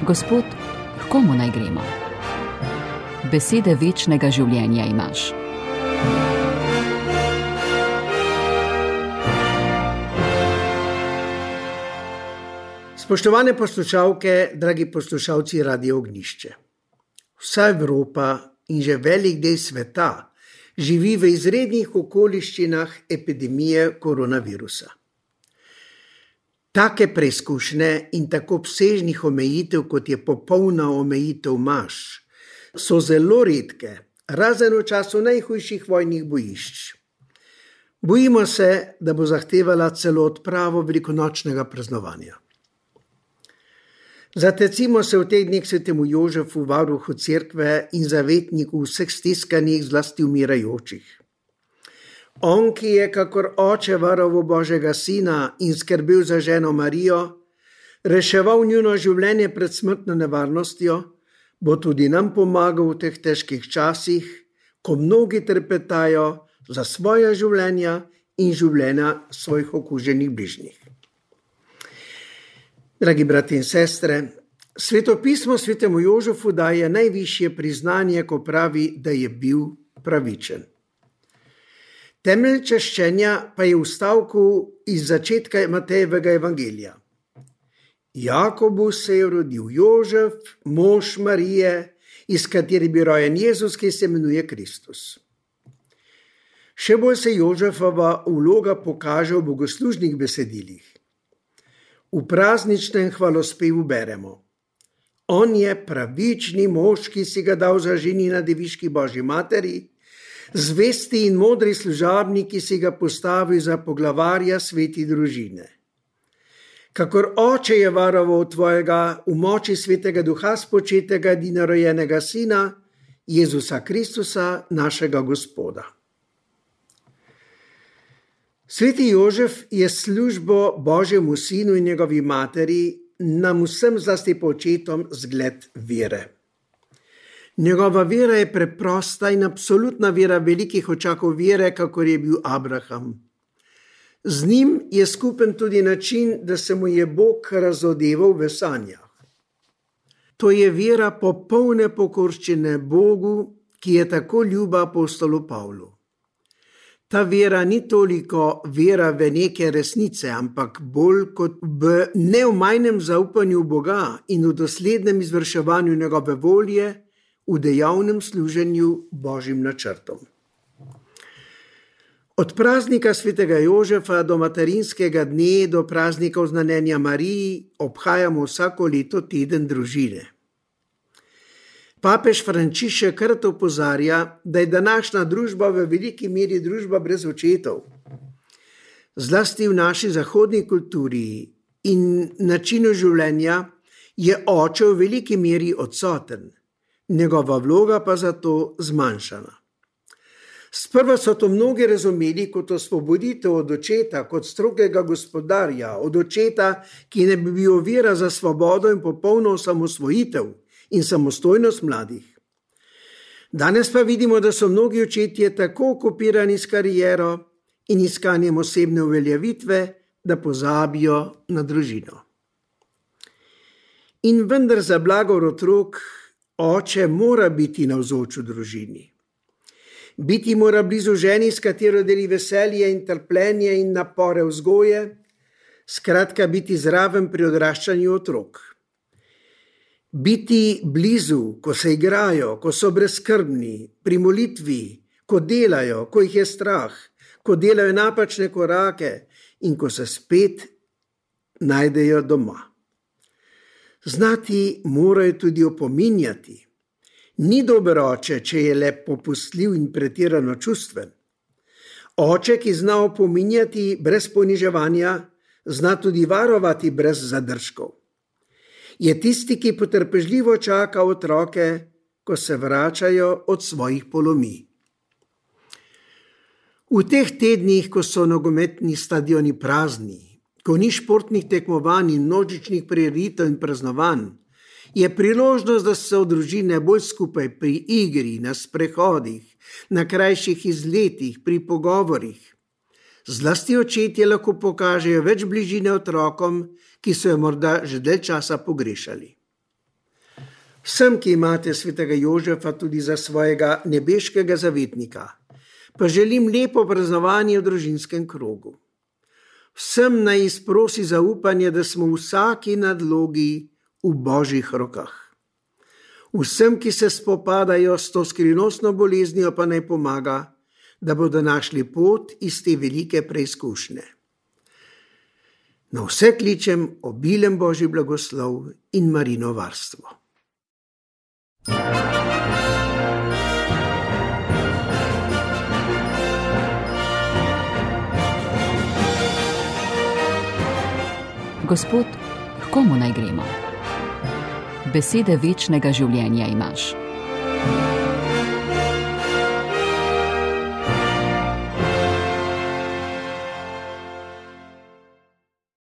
Gospod, k komu naj gremo? Besede večnega življenja imaš. Spoštovane poslušalke, dragi poslušalci Radia Ognjišče. Vsa Evropa in že velik del sveta živi v izrednih okoliščinah epidemije koronavirusa. Take preizkušnje in tako obsežnih omejitev, kot je popolna omejitev maš, so zelo redke, razen v času najhujših vojnih bojišč. Bojimo se, da bo zahtevala celo odpravo velikonočnega praznovanja. Zatecimo se v teh dneh svetemu Jožefu, varuhu cerkve in zavetniku vseh stiskanih, zlasti umirajočih. On, ki je kakor oče varoval Božjega sina in skrbel za ženo Marijo, reševal njuno življenje pred smrtno nevarnostjo, bo tudi nam pomagal v teh težkih časih, ko mnogi trpetajo za svoja življenja in življenja svojih okuženih bližnjih. Dragi brati in sestre, svetopismo svetemu Jožefu daje najvišje priznanje, ko pravi, da je bil pravičen. Temelj čaščenja pa je v stavku iz začetka Matejevega evangelija. Jakobu se je rodil Jožef, mož Marije, iz katere bi rojen Jezus, ki se imenuje Kristus. Še bolj se Jožefova vloga pokaže v bogoslužnih besedilih. V prazničnem hvalospevu beremo: On je pravični mož, ki si ga dal za ženina deviški Božji materi, zvesti in modri služabnik, ki si ga postavil za poglavarja sveti družine. Kakor oče je varoval tvojega v moči svetega duha spočetega edinorojenega sina, Jezusa Kristusa, našega Gospoda. Sveti Jožef je službo Božjemu sinu in njegovi materi, nam vsem zlasti po očetom, zgled vere. Njegova vera je preprosta in absolutna vera velikih očakov vere, kakor je bil Abraham. Z njim je skupen tudi način, da se mu je Bog razodeval v sanjah. To je vera popolne pokorščine Bogu, ki je tako ljuba apostolu Pavlu. Ta vera ni toliko vera v neke resnice, ampak bolj kot v neomajnem zaupanju Boga in v doslednem izvrševanju njegove volje, v dejavnem služenju Božjim načrtom. Od praznika svetega Jožefa do materinskega dne do praznika oznanjenja Mariji obhajamo vsako leto teden družine. Papež Frančišek krat opozarja, da je današnja družba v veliki meri družba brez očetov. Zlasti v naši zahodni kulturi in načinu življenja je oče v veliki meri odsoten, njegova vloga pa zato zmanjšana. Sprva so to mnogi razumeli kot osvoboditev od očeta, kot strogega gospodarja, od očeta, ki ne bi bil ovira za svobodo in popolno osamosvojitev in samostojnost mladih. Danes pa vidimo, da so mnogi očetje tako okupirani s kariero in iskanjem osebne uveljavitve, da pozabijo na družino. In vendar za blagor otrok oče mora biti navzoč v družini. Biti mora blizu ženi, s katero deli veselje in trpljenje in napore vzgoje, skratka biti zraven pri odraščanju otrok. Biti blizu, ko se igrajo, ko so brezskrbni, pri molitvi, ko delajo, ko jih je strah, ko delajo napačne korake in ko se spet najdejo doma. Znati morajo tudi opominjati. Ni dober oče, če je le popustljiv in pretirano čustven. Oče, ki zna opominjati brez poniževanja, zna tudi varovati brez zadržkov. Je tisti, ki potrpežljivo čaka otroke, ko se vračajo od svojih polomij. V teh tednih, ko so nogometni stadioni prazni, ko ni športnih tekmovanj in množičnih prireditev in praznovanj, je priložnost, da so družine bolj skupaj pri igri, na sprehodih, na krajših izletih, pri pogovorih. Zlasti očetje lahko pokažejo več bližine otrokom, ki so jo morda že dalj časa pogrešali. Vsem, ki imate svetega Jožefa tudi za svojega nebeškega zavetnika, pa želim lepo praznovanje v družinskem krogu. Vsem naj izprosi zaupanje, da smo vsaki nadlogi v Božjih rokah. Vsem, ki se spopadajo s to skrivnostno boleznijo, pa naj pomaga, da bodo našli pot iz te velike preizkušnje. Na vse kličem obilen Božji blagoslov in Marino varstvo. Gospod, h komu naj gremo? Besede večnega življenja imaš.